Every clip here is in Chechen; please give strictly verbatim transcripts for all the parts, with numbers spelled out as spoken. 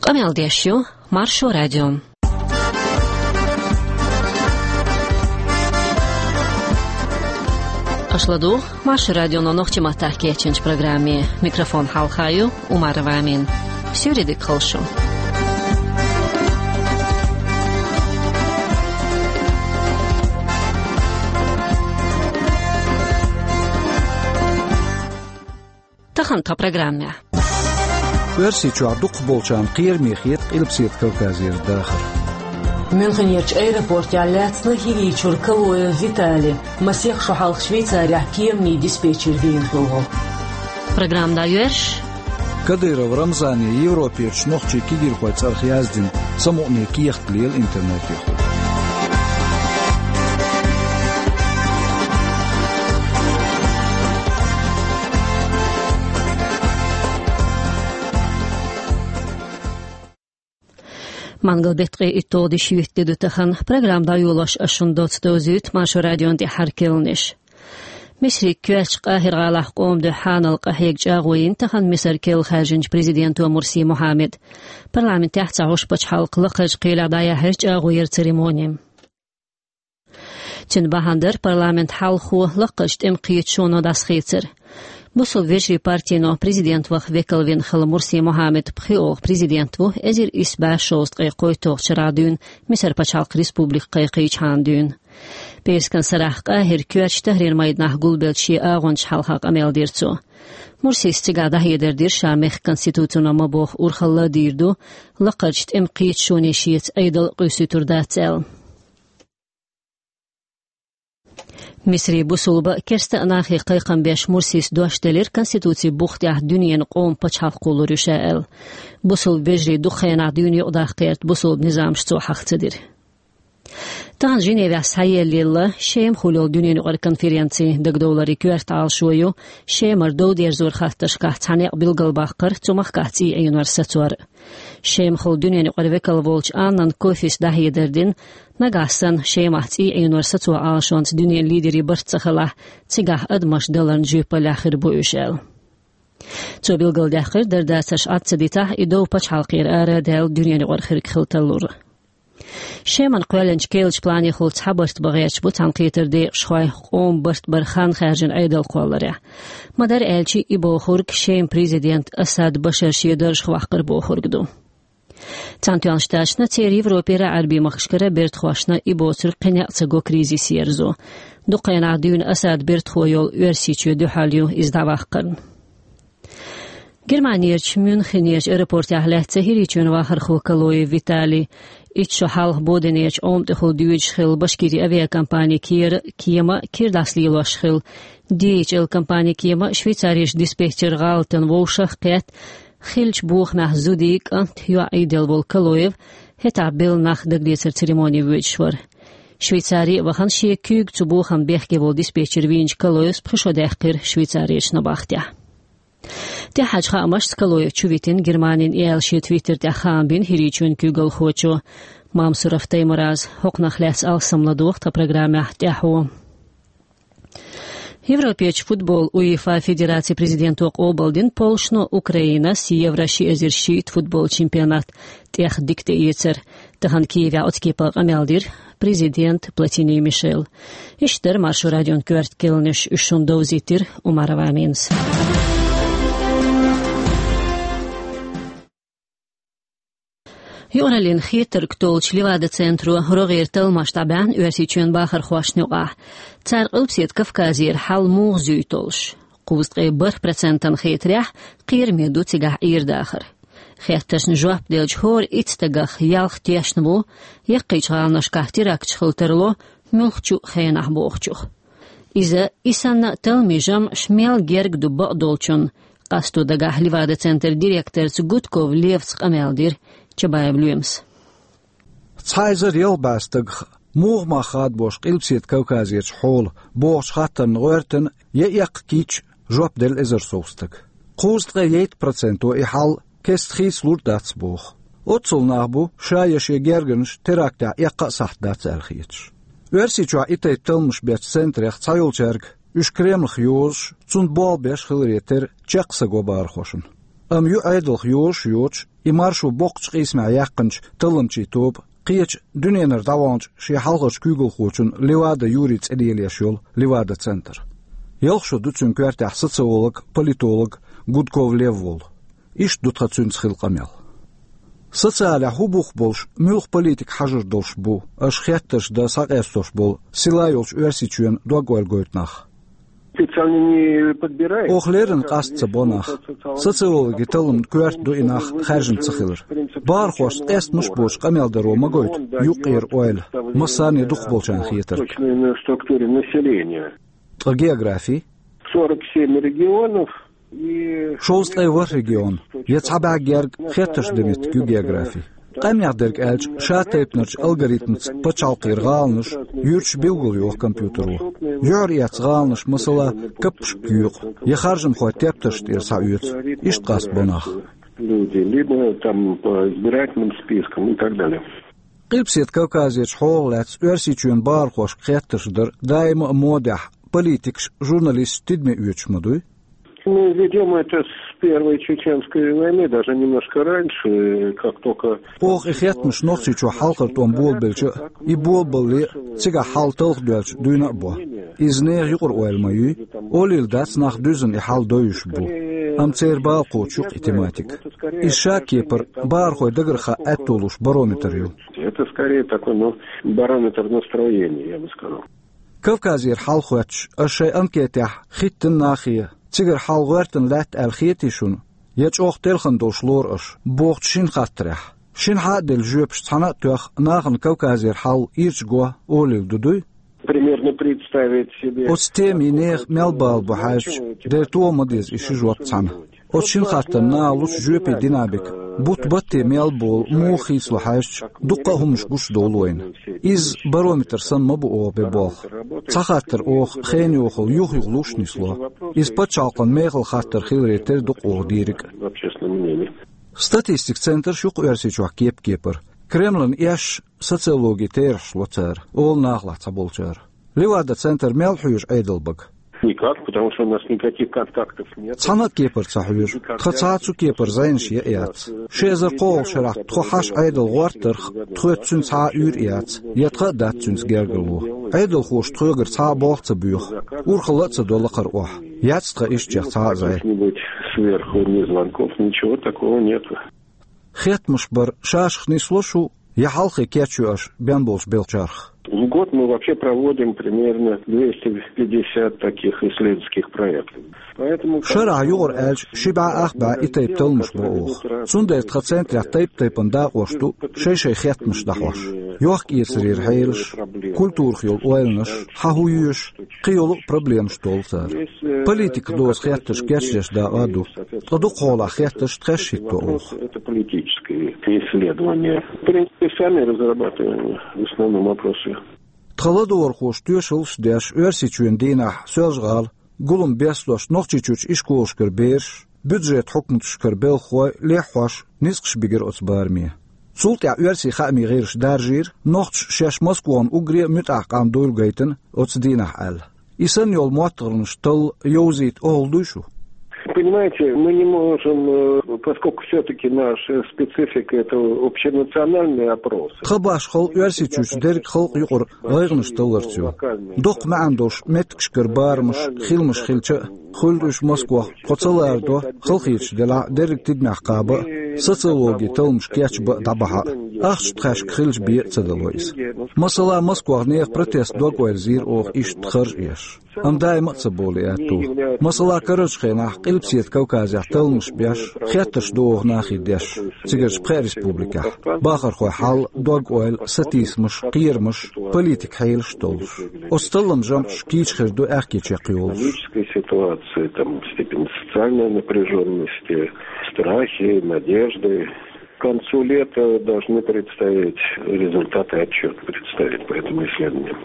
Къамел деш ю Маршо радио. Аша ладугӀу Маршо радионо нохчийн маттахь кечйинчу программе. Микрофон хьалха ю Умарова Амина. Суьйре дика хуьлда шун. Тахана тхан программехь. Оьрсийчохь дукхахболчарна кхераме хета Къилбаседа Кавказера дахар. Мюнхенерчу аэропортехь лаьцна ХӀирийчуьра Калоев Виталий. Масех шо хьалха Швейцарехь кеманийн диспетчер вийна хилла волу. Программа дӀайоьрзуш. Кадыров Рамзане Европерчу нохчийн кегийрхойн цӀарах яздина самукъане кехат лела интернетехула. Мангал-беттан ткъе итталгӀа де шоьтан де ду тахана. Программа дӀайолош ас шуна доцца довзуьйту Маршо радион тӀаьххьара керланаш. Мисрин коьртачу Къахьир-гӀалахь къоман дуьхьа хьанал къахьега чӀагӀо йина тахана Мисар керла хаьржинчу президенто Мурси Мухьаммада. Парламентехь цхьа гӀуш пачхьалкх лакхарчу кхелехь дӀаяьхьира чӀагӀо яран церемони. Цуьнан бахьана дара парламентан хьалхо лакхарчу тӀеман кхеташоно дӀасахецар. Бусулба вежарийн партино президент ваха векал вина хилла Мурси Мухьаммад пхоьалгӀа президент ву, эзар исс бӀе шовзткъе кхойтталгӀачу шарахь дуьйна Мисар пачхьалкх республика кхайкхийчхьана дуьйна. П'аьрскан сарахь Къахьиран коьртачу Тахрир майданахь гулбеллачу шен агӀончашна хьалха къамел дира цо. Мурсис цигахь дӀахьедар дира, ша мехкан конституцино ма-бохху урхалла а дийр ду, лакхарчу тӀеман кхеташоне шеца Ӏедал а къуьйсуьйтур дац аьлла. Мисрин бусулба а, керста а нахе кхайкхам беш Мурсис дош делира, Конституцин бух тӀехь дуьненан къоман пачхьалкх кхуллур ю ша аьлла. Бусулба вежарий дукха хенахь дуьйна юкъадаккха гӀерта бусулба низамаш цо хьаха ца дира. Тахана Женевехь схьаеллаелла Шема хуьлу йолу дуьненан юкъара конференци. Дагадовларан, коьрта Ӏалашо ю Шемара дов дерзоран хаттаршкахь цхьа некъ билгалбаккхар, цу махкахь цӀий Ӏенор сацор. Шемахула дуьненан юкъара векал волчу Аннан Кофис дӀахьедар дина, нагахь санна Шемахь цӀий Ӏенор сацо Ӏалашонца дуьненан лидерийн барт ца хилахь, цигахь адамаш даларна жоьпаллехь хир бу уьш аьлла. Цо билгалдаьккхира, дарба-дацарш Ӏад ца дитахь, и дов пачхьалкхера ара а даьлла дуьненан юкъара хирг хила тарлура. Шемана кхоьллинчу керлачу планехула цхьа барт бан гӀерташ бу цхьаьнакхетаран декъашхой, къоман барт баран хан хаьржина Ӏедал кхолларехь. Ма-дарра аьлча, и бохург Шеман президент Асад Башар шен даржах ваккхар бохург ду. Цхьаьнатоьхначу Штаташна, церан Европера а, Ӏаьрбийн махкашкара а бертахошна и боцург кхин некъ ца го кризис ерзо. Дукха хенахь дуьйна Асадан бертахо йолу Оьрсийчоь дуьхьал ю иза дӀаваккхарна. Германерчу Мюнхенерчу аэропортехь лаьцна ХӀирийчоьнан вахархо Калоев Виталий. Итт шо хьалха бодинерчу Ӏома тӀехула доьдуш хилла Башкирин авиакомпани кера кема а, кира дӀасалелош хилла ди эйч эл компанин кема а, Швейцарерчу диспетчеран гӀалатан вовшах а кхетта, хиллачу бохамехь зудий, кӀант, йоӀ Ӏийделла волу Калоев хӀетахь белла нах дагалецаран церемоне воьдуш вара. Швейцаре а вахана, шен куьйга цу бохамна бехке волу диспетчер вийначу Калоевс пхи шо даьккхира Швейцарерчу набахтехь. ТӀаьххьарчу хаамашца Калоев чу витина Германин и аьлла шен твиттер тӀехь хаам бина ХӀирийчоьнан куьйгалхочо Мамсуров Таймураза. ХӀокхунах лаьцна алссам ладогӀа тхан программехь тӀаьхьо. Европерчу футбол УЕФА федерацин президенто къобалдина полшно Украинас Евро ши эзар шийтта футбол чемпионат тӀех дика тӀеэцар. Тахана Киевехь оцу кепара къамел дира президент Платини Мишел. Иштта дара Маршо радион коьрта керланаш, уьш шуна довзийтира Умарова Аминас. Юкъараллин хетарг толлучу Левада-центро рогӀера талламаш дӀабаьхьна Оьрсийчоьнан бахархошна юкъахь. Цара Къилбаседа Кавказера хьал муха зуьй толлуш? Кхузткъе бархӀ процентана хетарехь, кхераме ду цигахь Ӏер-дахар. Хеттаршна жоп делча, хӀора итт стагах ялх тешна ву, яккхийчу гӀаланашкахь теракташ хила тарло муьлххачу а хенахь бохучух. Иза, и санна а талламийн жамӀаш мел герга ду бакъдолчунна, къасто дагахь Левада-центран директорца Гудков Леваца къамел дира Чабаев Лоьмас. Цхьа эзар ялх бӀе стагах муха мах хадабо Къилбаседа Кавказерчу хьола бохучу хаттарна гӀоьртина я эккха кийча жоп делла эзар сов стага. Кхузткъе итт проценто и хьал кеста хийцалур дац боху. Оццул нах бу, ша я шен гергарнаш терактехь эккха а сахьт дац аьлла хеташ. Оьрсийчохь и тайпа талламаш бечу центрех цхьайолчаьрга уьш Кремлах йозуш, цунна болх беш хиларе терра, чекх са го бахархошна. Амма ю Ӏедалх йозуш йоцуш, и маршо боккхачу къийсамехь яьккхинчу талламчийн тоба кхечу дуьненара дӀаваханчу шен хьалхарчу куьйгалхочун Левада Юрий цӀе лелош йолу Левада-центр. Ялх шо ду цуьнан коьртехь социолог, политолог Гудков Лев волу. Иштта ду тхан цуьнца хилла къамел. Социалехь хӀун бух болуш, муьлха политика хьажар долуш бу аша хеттарш дан схьакъестош болу сила йолчу Оьрсийчоьнан дог-ойла гойту нах? Специально не подбирает. Оха леррина къаста ца бо нах. Социологи талламна коьрта ду и нах хаьржина ца хилар. Бахархошца къестамаш а боцуш къамел даро ма гойту юккъера ойла, массарна а дукхахболчарна хетарг. Точно на структуре населения. Ткъа географи? Сорок семь регионов. Шовзткъе ворхӀ регион, я цхьа бӀе герга хеттарш дан меттиг ю географи. Къаьмнех дерг аьлча, ша тайпанарчу алгоритмаца пачхьалкхера гӀаланаш юьрташ билгалйоху компьютеро. Юьхьар эцна гӀаланаш, масала, каппашка юькъу, я харжамхойн тептарш тӀера схьаоьцу. Иштта къаста бо нах. Люди, либо там по избирательным спискам и так далее. Къилбаседа Кавказерчу хьолах лаьцна Оьрсийчоьнан бахархошка хеттарш дар даима а модехь политикаш, журналисташ тидаме оьцуш ма дуй? Мы ведём это с первой чеченской войны, даже немножко раньше, как только... Оха и хеттамаш Нохчийчохь хьалхара тӀом болабелча а, и болабалале а, цигахь хьал талхадоьлча дуьйна а бо. Иза нехан юкъара ойла ма юй, олийла дац нах дуьззина и хьал довзуьйтуш бу. Амма церан бала кхочуш ю-кх и тематика. Иза ша кепара бахархойн дагарх хаа аьтто луш барометр ю. Это скорее такой, ну, барометр настроения, я бы сказал. Кавказера хьал хоьттуш, аша шайн анкетехь хӀиттина нахе, цигара хьал гӀоьртина лаьтта аьлла хетий шуна, я чӀогӀа телхина долуш лору аша, бохучу шина хаттарехь? Шина хьа а делла жоьпаш цхьаьна а тоьхна, нахана Кавказера хьал ирча го олийла ду дуй? Примерно представить себе. Оцу темийн нехан мел бала бу хьаьжча, дера тоха ма деза и ши жоп цхьаьна. Оцу шина хаттарна наха лучу жоьпийн динамика, бутт-батте мел болу муха хийцало хьаьжча, дуккха а хӀуманаш гуш довлу вайна. Иза барометр санна ма бу оха бен болх. Цхьа хаттар оха хенан йохалла юх-юха луш нисло. Иза пачхьалкхан мехала хаттар хиларе тера ду-кх оха дийриг а. Статистикан центраш ю-кх Оьрсийчохь кеп-кепара. Кремлана эшна социологин терахьаш ло цара, олу нахалахь цхьаболчара. Левада-центр мел хьоьжу Ӏедалан бага? Никак, потому что у нас никаких контактов нет. Цхьана а кепара ца хьоьжу. Тхан цхьа а цу кепара зӀенаш ян а яц. Ши эзар кхоалгӀачу шарахь тхо хьаша Ӏедал гӀортарх, тхоьца цуьнца цхьа а уьйр а яц, я тхан а дац цуьнца гергарло. Ӏедалхоша тхоьгара цхьа а болх ца боьху, урхалла а ца до лакхара охьа. Яц тхан ишттачех цхьа а зӀе. Каких-нибудь сверху ни звонков, ничего такого нету. Хеттамаш бар шашах нисло шу, я хьалххе кечйо аша бен болчу белхачарх? В год мы вообще проводим примерно двести пятьдесят таких исследовательских проектов. Поэтому... Шарахь юкъара аьлча, ши бӀе ах бӀе и тайпа талламаш бо оха. Цундела тхан центрехь тайп-тайпана дакъош ду, шай-шай хеттамаш дӀахьош. Йохк-эцарера хьелаш, культурах йолу ойланаш, хьан хӀун йоьшу, кхин йолу а проблемаш толлу цара. Политиках доьзна хеттарш кечдеш дакъа а ду. Ткъа дукхахьолахь хеттарш тхаьш хӀитто оха. Это политическое исследование. В принципе, сами разрабатываем в основном опросы. Тхан ладогӀархоша тоьшаллаш а деш, Оьрсийчоьнан дийнахь Соьлжа-ГӀала, гулам бестош Нохчийчуьрчу ишколашкара бераш, бюджетан хьукматашкара белхахой, леххьош, ницкъаш бигира оцу бараме. Цул тӀаьхьа оьрсийн хаамийн гӀирсаша даржийра, нохчаша шаьш Москвана уггаре а муьтӀахь къам дуйла гайтина оцу дийнахь аьлла. И санна йолу моттигӀанаш талла йовзийта охьалуш дуй шу? Понимаете, мы не можем, э, поскольку всё-таки наша специфика — это общенациональный опрос. Тхан башхалла Оьрсийчуьрчу дерриг халкъ юкъара гӀайгӀанаш талларца ю. Доккха маьӀна долуш меттигашкара барамаш, хиламаш хилча а, хуьлда уьш Москвахь, тхо ца ларадо, халахеташ делахь а, дерриг тидамехь кхаба а, социологин талламаш кечбан а, дӀабахьа а. Ахча тхаьшка хилча бен а ца дало иза. Масала, Москвахь нехан протест дог-ойла зийра оха иштта харж еш. Амма даима а ца болу и аьтту. Масала, карарчу хенахь Къилбаседа Кавказехь талламаш беш, хеттарш ду оха нахе деш, цигарчу пхеа республикехь. Бахархойн хьал, дог-ойла, сатийсамаш, кхерамаш, политикан хьелаш а толлуш. Оцу талламан жамӀаш кийча хир ду аьхке чекхйолуш. Экономическая ситуация, там, степень социальной напряжённости, страхи, надежды. К концу лета должны представить результаты, отчёт представить по этому исследованию.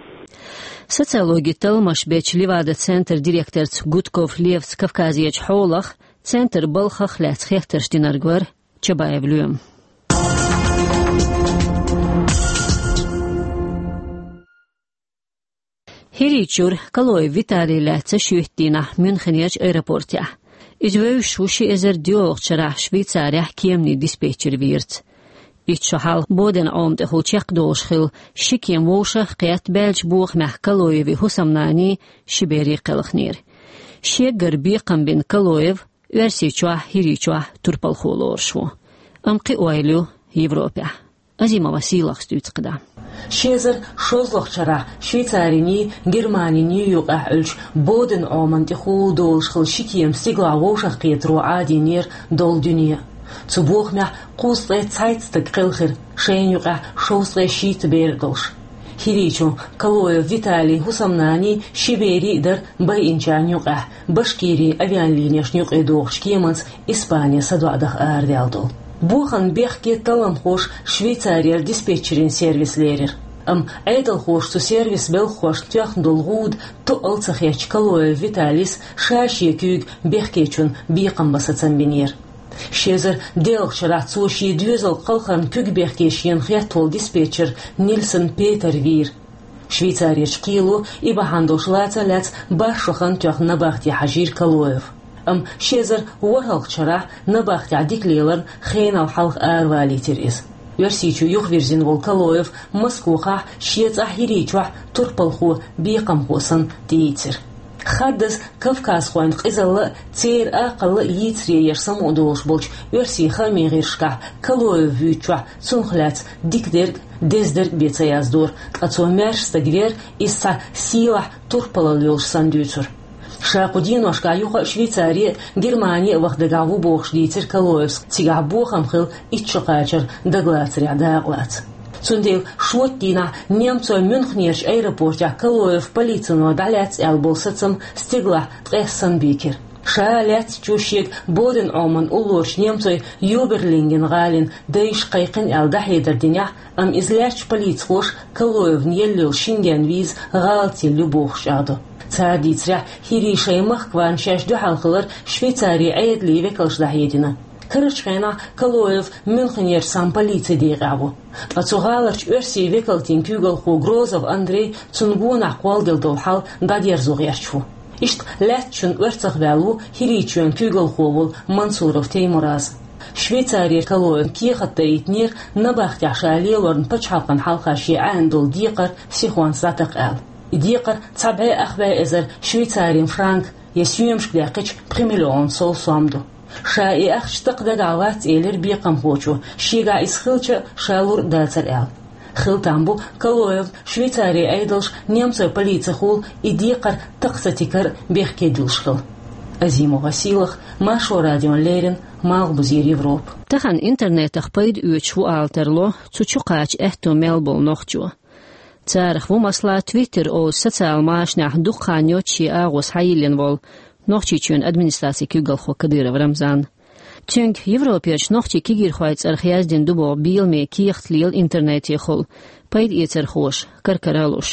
Социологин талламаш бечу Левада-центран директорца Гудков Левца Кавказерчу хьолах, центран балхах лаьцна хеттарш динарг вара Чабаев Лоьма. ХӀирийчуьра Калоев Виталий лаьцна шоьтан дийнахь Мюнхенерчу аэропортехь. Иза вевзаш ву ши эзар доьалгӀачу шарахь Швейцарехь кеманийн диспетчер вийрца. Итт шо хьалха Боден Ӏома тӀехула чекхдолуш хилла ши кема вовшах а кхетта, баьллачу бохамехь Калоевн хӀусамнанний, ши берий кхелхинера. Шегара бекхам бина Калоев Оьрсийчохь, ХӀирийчохь турпалхо лоруш ву. Амма кхин ойла ю Европехь. Азимова Сийлахьас дуьйцу кхидӀа. Ши эзар шолгӀачу шарахь Швейцариний, Германиний юкъахь Ӏуьллучу Боден Ӏомана тӀехула долуш хилла ши кема стигалахь вовшах кхетаро Ӏадийнера долу дуьне. Цу бохамехь кхузткъе цхьайтта стаг кхелхира, шайна юкъахь шовзткъе шийтта бер а долуш. ХӀирийчун Калоев Виталин хӀусамнанний, ши берий а дара байинчарна юкъахь, Башкирин авиалинешна юкъе догӀучу кеманца Испане садоӀа даха арадаьлла долу. Боханна бехке талламхоша Швейцарера диспетчерийн сервис лерира. Амма Ӏедалхоша цу сервисан белхахошна тоьхна долу гӀуда тоъал ца хетча, Калоев Виталис ша шен куьйга бехкечунна бекхам бан сацам бинера. Ши эзар доьалгӀачу шарахь цо шен доьзалан кхалхарна куьг бехке шена хетта волу диспетчер Нильсон Петер вийра. Швейцарерчу кхело и бахьана долуш лаца а лаьцна бархӀ шо хан тоьхна набахте хьажийра Калоев. Амма ши эзар ворхӀалгӀачу шарахь набахтехь дика леларна хенал хьалха аравалийтира иза. Оьрсийчу юхавирзина волу Калоев Москохахь шен цӀахь ХӀирийчохь турпалхо, бекхамхо санна тӀеийцира. Хаддаза кавказхойн къизалла а, церан акхалла а йийцаре еш самукъадолуш болчу оьрсийн хаамийн гӀирсашкахь Калоев вуьйцучохь цунах лаьцна дика дерг а, деза дерг а бен ца яздора, ткъа цо маьрша стаг вер, иза цхьа сийлахь турпалалла йолуш санна дуьйцура. Ша кху деношкахь юха а Швейцаре а, Германе а ваха дагахь ву бохуш дийцира Калоевс, цигахь бохам хилла итт шо кхачар дагалацарехь дакъалаца. Цундела шоьтан дийнахь немцойн Мюнхенерчу аэропортехь Калоев полицино дӀалаьцна аьлла болу сацам стигалахь ткъесна санна бийкира. Ша лаьцначо шега Боден Ӏомана уллорачу немцойн Юберлинген гӀалина дайша кхайкхина аьлла дӀахьедар динехь, амма иза лаьцначу полицихоша Калоевна елла йолу Шенген виза гӀалателла ю бохуш чӀагӀдо. Цара дийцарехь, ХӀирий шайн махкахь варна шаьш дуьхьал хилар Швейцарин Ӏедалан векалша дӀахьедина. Карарчу хенахь Калоев Мюнхенерчу цхьана полицин декъехь ву. Ткъа цу гӀаларчу оьрсийн векалтийн куьйгалхо Грозов Андрей цунна гонах кхолладелла долу хьал дӀадерзо гӀерташ ву. Иштта лаьцначунна орцах ваьлла ву ХӀирийчоьнан куьйгалхо волу Мансуров Теймураз. Швейцарера Калоевна кехат даийтинера набахтехь ша лелорна пачхьалкхана хьалха шен Ӏаьнна долу декхар сихонца дӀатакха аьлла. И декхар цхьа бӀе ах бӀе эзар швейцарин франк, я соьмашка даьккхича пхи миллион сов сом ду. Ша и ахча такха дагахь вац, элира бекхамхочо, шегахь иза хилча а ша лур а дацара аьлла. Хила там бу Калоевна Швейцарин Ӏедалша немцойн полицихула и декхар такха ца тикар а бехке дуьллуш хила. Азимова Сийлахь, Маршо радиона леррина, Малхбузера Европа. Тахана интернетах пайда оьцуш ву ала тарло цу чу кхача аьтто мел болу нохчо. Царах ву, масала, Twitter олу социал машанехь дукха хан йоццуш шен агӀо схьайиллина волу Нохчийчоьнан администрацин куьйгалхо Кадыров Рамзан. Цуьнга Европерчу нохчийн кегийрхойн цӀарах яздина ду боху беламе кехат лела интернетехула пайда эцархоша, кар-кара а луш.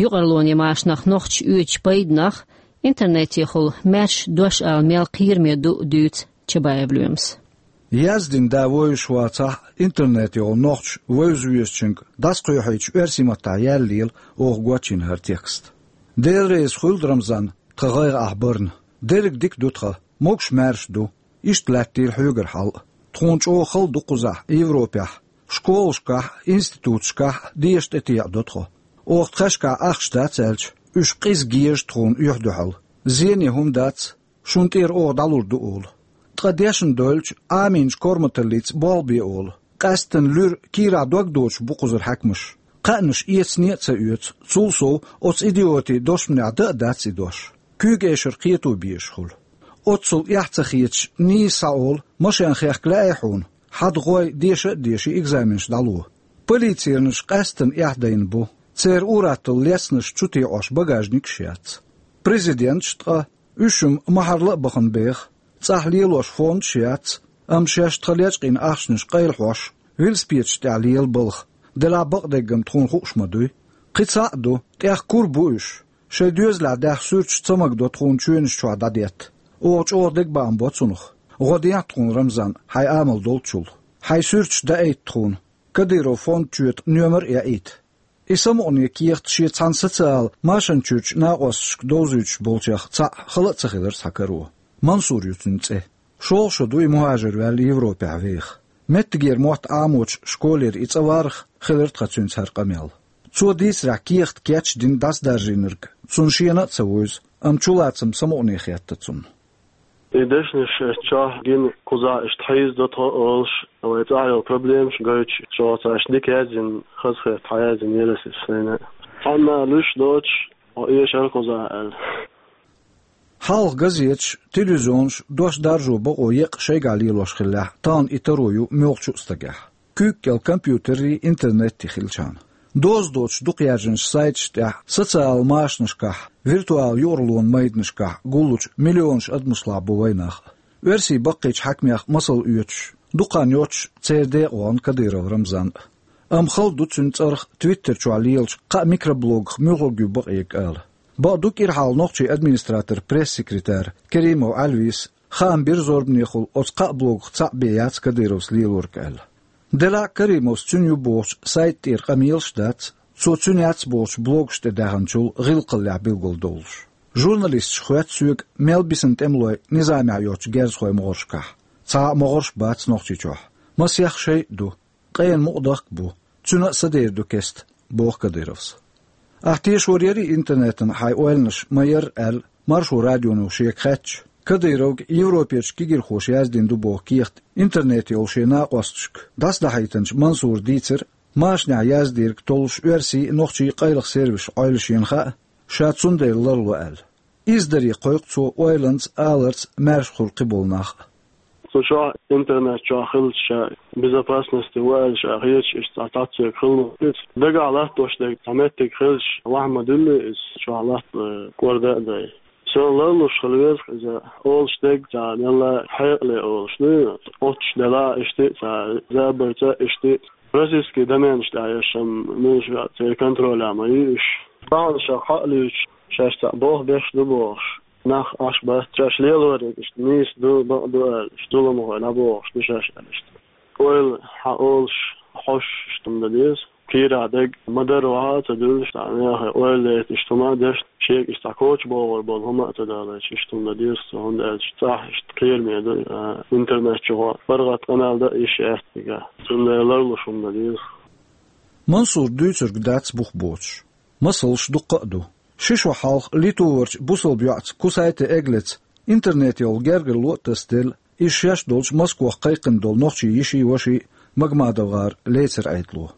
Юкъарлонан машанах нохчаша оьцучу пайданах, интернетехула маьрша дош ала мел кхераме ду а дуьйцу Чабаев Лоьмас. Яздина да вевзаш вацахь а, интернетехула нохчаша вевза-везачуьнга дӀасакхоьхьуьйтуш оьрсийн маттахь яьлла лела оха гочйина хӀара текст. Дела реза хуьлда, Рамзан, тхан гӀайгӀа ахь барна. Дерриг дика ду тхан, могуш-маьрша ду. Иштта лаьттийла хьоьгара хьал а. Тхуна чӀогӀа хала ду кхузахь, Европехь. Школашкахь а, институташкахь а деша тӀетеӀадо тхо. Оха тхаьшкахь ахча дац аьлча, уьш къиза геза тхуна оьхь дуьхьал. Зене хӀума дац, шуна тӀера оха дӀалур ду олу. Ткъа дешна дойлучу Ӏамийначу корматаллица болх бе олу. Къаьсттина луьра кийрахь дог доцуш бу кхузара хьаькамаш. Кхаьънаш эцане а ца оьцу, цул сов оцу идиотийн дошманехь дан а дац и дош. Куьйга эшар кхето безаш хуьлу. Оццул эхь ца хеташ нийса схьаолу, машен хехка лаьий хьуна? Хьада гӀой, деша а деший, экзаменаш дӀало. Полицейнаш къаьсттина эхь дайна бу. Церан ур-атталла лестнаш чу тоьӀош багажникаш яц. Президенташ ткъа, уьш-м ма-хьарла а бахана беха. ЦӀахь лелош фондаш а яц, амма шаьш тхан лечкъийна ахчанаш къайлахьош, велосипедаш тӀехь лела балха, делахь бакъдерг-м тхуна хууш ма дуй. Кхин цхьаъ а ду, тӀех кура бу уьш. Шайн доьзалехь даьхна суьрташ ца магадо тхуна чоьнаш чохь дӀадетта. Оха чӀогӀа дегабаам бо цунах. ГӀо дехьа тхуна, Рамзан, хьайн амал долчул. Хьайн суьрташ даийта тхуна. Кадыров фонд чоьта номер а яийта. И самукъане кехат шен цхьана социал машан чуьрчу накъосташка довзуьйтуш болчех цхьаъ хала а ца хилира цхьа каро. Мансур ю цуьнан цӀе. ШолгӀа шо ду и мухӀажар ваьлла Европехь веха. Меттигера мотт Ӏамочу школера и цӀа варах, хилира тхан цуьнца хӀара къамел. Цо дийцарехь, кехат кечдина дӀасадаржийнарг цунна шена а ца вуьйзу, амма чулацам самукъане хетта цунна. И дешнаш чохь гина кхузахь иштта хьийзадо тхо олуш, вайн цӀахь йолу проблемаш гойтуш, шух цаьршинна дика яздина, хазахетта хьан яздина яра аса сайна. Цхьанна луьйш доцуш, хьо эшара кхузахь аьлла. Хьалха газеташ, телевизионаш дош даржо бакъо еккъа шайгахь лелош хиллехь, тахана и таро ю муьлххачу а стагехь. Куьйга кӀел компьютерий, интернетий хилчахьана. Доза доцуш дукха яьржинчу сайташ тӀехь, социал машанашкахь, виртуал юкъарлонан майданашкахь гуллучу миллионаш адамашлахь бу вайнах. Оьрсийн баккхийчу хьаькамех масал оьцуш, дукха хан йоцуш церан декъа вахана Кадыров Рамзан а. Амма хала ду цуьнан цӀарах Твиттер чохь лелачу кхаа микроблогах муьлхарг ю бакъ ерг ала. Бакъду, кӀира хьалха нохчийн администратор, пресс-секретарь Керимов Ӏелвис хаам бира зорбанехула оцу кхаа блогах цхьаъ бен яц Кадыровс лелорг аьлла. Делахь а Керимовс цуьнан ю бохучу сайта тӀера къамелаш дац, цо цуьнан яц бохучу блогаш тӀе даьхначул гӀиллакхаллехь билгалдовлуш. Журналисташа хоьтту соьга, мел бисина тӀемалой низамехь йоцучу герзахойн могӀаршкахь. Цхьа а могӀарш бац Нохчийчохь. Масех шайн а ду. Къена мукъадахка бу. Цуьнан а сан дер ду кеста, боху Кадыровс. Ахь тешор ярий интернетан хьайн ойланаш ма-ярра аьлла, Маршо радионо шега хаьттича, Кадыровга Европерчу кегирхоша яздина ду боху кехат интернете йолу шен накъосташка дӀасадахьийтинчу Мансура дийцира, машанехь яздерг толлуш оьрсийн а, нохчийн а къайлаха сервисаш Ӏойла шена хаьа, ша цундела ларло аьлла. Иза даре кхойкху цо ойланца, аларца маьрша хуьлу кхиболу нах а. Цу чохь интернет чохь хилча ша безопасности ву аьлла ша хеташ, иштта цхьа цхьацца хила ма-хиллара. Дагахь латтош дерг цхьа меттиг хилча, ваха ма-дуьллий иза, чохь латта кӀорда а дай. Суна ларлуш хила веза иза, олуш дерг цхьа мелла хьекъале олуш ду, оццуш делахь а иштта, цхьа забарца а иштта. Российский доменаш тӀехь еш ма-хиллара, церан контролехь ма ю уьш. Тахана ша хьаалуьйтуш, шаьш цхьаъ болх беш ду бохуш, нах Ӏаш бац, шаьш лелориг иштта нийса ду, бакъ ду аьлла, иштта зуламхой дӀабохуш ду шаьш аьлла иштта. Ойла хьан олуш, хьош иштта хӀума дан деза. Кийрахь дерг ма-дарра ваха а ца дуьллуш, цхьа мехе ойла дайта иштта хӀума а деш, шега иштта коча богӀур болу хӀума а ца далойтуш, иштта хӀума дан деза цо, хӀунда аьлча цӀахь иштта кхераме ду, а, интернет чухьа паргӀат къамел дан а йиш яц цигахь. Цундела ларлуш хӀума дан деза. Мансура дуьйцург дац бух боцуш. Масалш дуккха а ду. Ши шо хьалха литоварчу бусалба йоӀца Кусайте Эглеца интернете йолу гергарло а тасаделла, иза шаьш долчу Москвахь кхайкхина долу нохчийн йиший, ваший МагмадовгӀара лецар Ӏедало.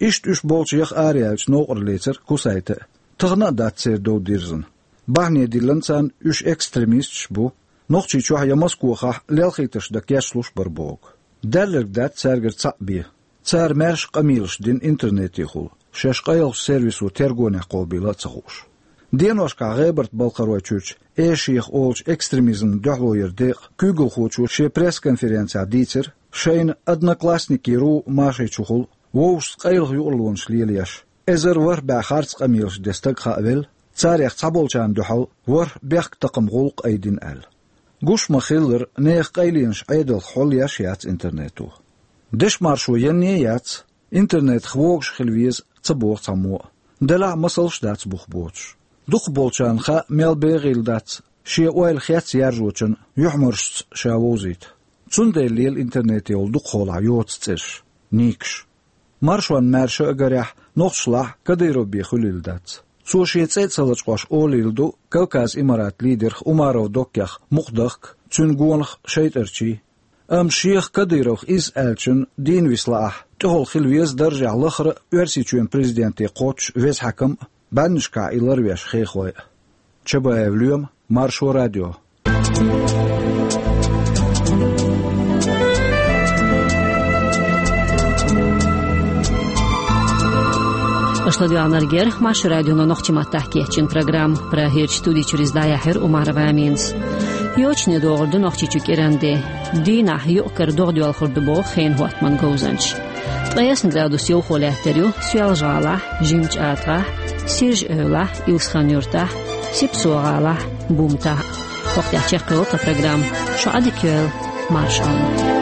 Иштта уьш болчех араяьлча новкъарлецара Кусайте а. Тахана а дац церан дов дирзина. Бахьане диллина царна, уьш экстремисташ бу, Нохчийчохь я Москвахахь лелхийтарш дан кечлуш бара боху. Даьлларг дац цаьргара цхьаъ бен. Цара маьрша къамелаш дина интернетехула, шаьш къайлахчу сервисо тергонехь кхобийла а ца хууш. Деношкахь ГӀебарта-Балкхаройчуьрчу Эшех олучу экстремизмна дуьхьало яран декъан куьйгалхочо шен пресс-конференцехь дийцира, шайна Одноклассники ру машайчухула вовшашца къайлаха юкъарлонаш лелаеш, эзар ворхӀ бӀе харц къамелаш ден стаг хаавелла, царех цхьаболчарна дуьхьал ворхӀ бехктакхаман гӀуллакх айдина аьлла. Гуш ма-хиллара, нехан къайленаш Ӏедалх хьулъеш яц интернето. Дешмаршо янне а яц, интернетах вогуш хила веза ца боху цхьаммо а. Делахь а масалш дац бух боцуш. Дукхахболчарна хаьа мел бегӀийла дац шен ойла хец яржочун юьхьмаршца ша вовзийта. Цундела лела интернете йолу дукхахьолахь йоцу цӀераш, никаш. Маршонна маьрша а гарехь, нохчашлахь Кадыров бен хуьлийла дац. Цо шен цӀе а ца лачкъош олийла ду Кавказ Имарат лидерх Умаров Доккех мукъадахка, цуьнан гонах шайтӀарчий. Амма шех Кадыровх иза аьллачун дийна виса лаахь, тӀехула хила веза даржехь лахара а Оьрсийчоьнан президенте кхоччуш веза хьаькам а, бӀаьннашкахь и ларвеш хехой а. Чабаев Лоьма, Маршо радио. Аша ладоьгӀнарг яра Маршо радионо нохчийн маттахь кечйина программа. Прагерчу студи чуьра иза дӀаяьхьира Умарова Аминас. Йочане догӀур ду Нохчийчу кӀиранде. Дийнахь юкъ-кара догӀа доьлхур ду боху хенан хӀоттаман говзанчаша. Ткъе ялх градус йовхо лаьттар ю Соьлжа-ГӀалахь, ЖимачӀатагӀахь, Сиржа-Эвлахь, Илсхан-Юьртахь, Сипсо-ГӀалахь, Бумтахь. ХӀокху тӀехь чекхйолу тхан программа. Шу Ӏадика йойла, марша Ӏойла.